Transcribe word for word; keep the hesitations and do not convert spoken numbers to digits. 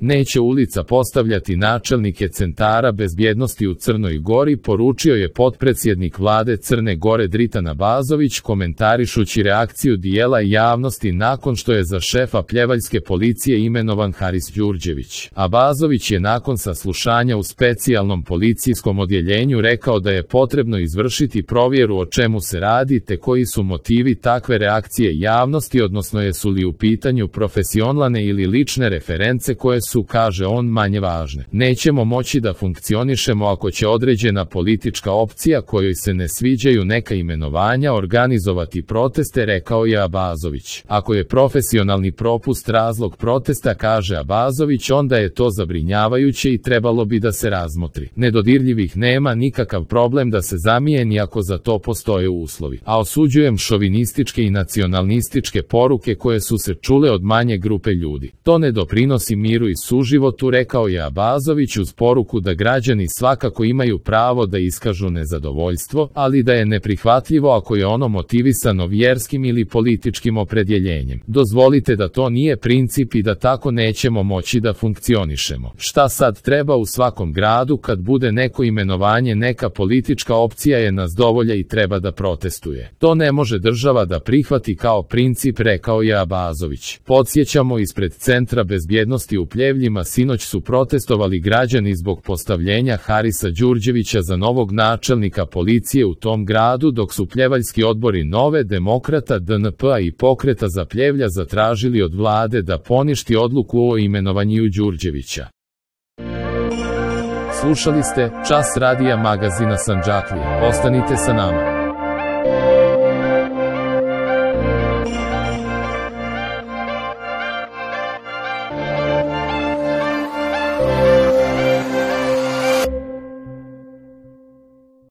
Neće ulica postavljati načelnike centara bezbjednosti u Crnoj Gori, poručio je potpredsjednik vlade Crne Gore Dritan Abazović komentarišući reakciju dijela javnosti nakon što je za šefa pljevaljske policije imenovan Haris Đurđević. Abazović je nakon saslušanja u specijalnom policijskom odjeljenju rekao da je potrebno izvršiti provjeru o čemu se radi te koji su motivi takve reakcije javnosti, odnosno jesu li u pitanju profesionalne ili lične reference koje su, kaže on, manje važne. Nećemo moći da funkcionišemo ako će određena politička opcija kojoj se ne sviđaju neka imenovanja organizovati proteste, rekao je Abazović. Ako je profesionalni propust razlog protesta, kaže Abazović, onda je to zabrinjavajuće i trebalo bi da se razmotri. Nedodirljivih nema nikakav problem da se zamijeni ako za to postoje uslovi. A osuđujem šovinističke i nacionalističke poruke koje su se čule od manje grupe ljudi. To ne doprinosi miru i suživotu, rekao je Abazović uz poruku da građani svakako imaju pravo da iskažu nezadovoljstvo, ali da je neprihvatljivo ako je ono motivisano vjerskim ili političkim opredjeljenjem. Dozvolite da to nije princip i da tako nećemo moći da funkcionišemo. Šta sad treba u svakom gradu kad bude neko imenovanje, neka politička opcija je nas dovolja i treba da protestuje. To ne može država da prihvati kao princip, rekao je Abazović. Podsjećamo, ispred Centra bezbjednosti u Pljevljima sinoć su protestovali građani zbog postavljenja Harisa Đurđevića za novog načelnika policije u tom gradu, dok su pljevaljski odbori Nove demokrata, D N P-a i Pokreta za Pljevlja zatražili od vlade da poništi odluku o imenovanju Đurđevića. Slušali ste Čas radija magazina Sandžaklija. Ostanite sa nama.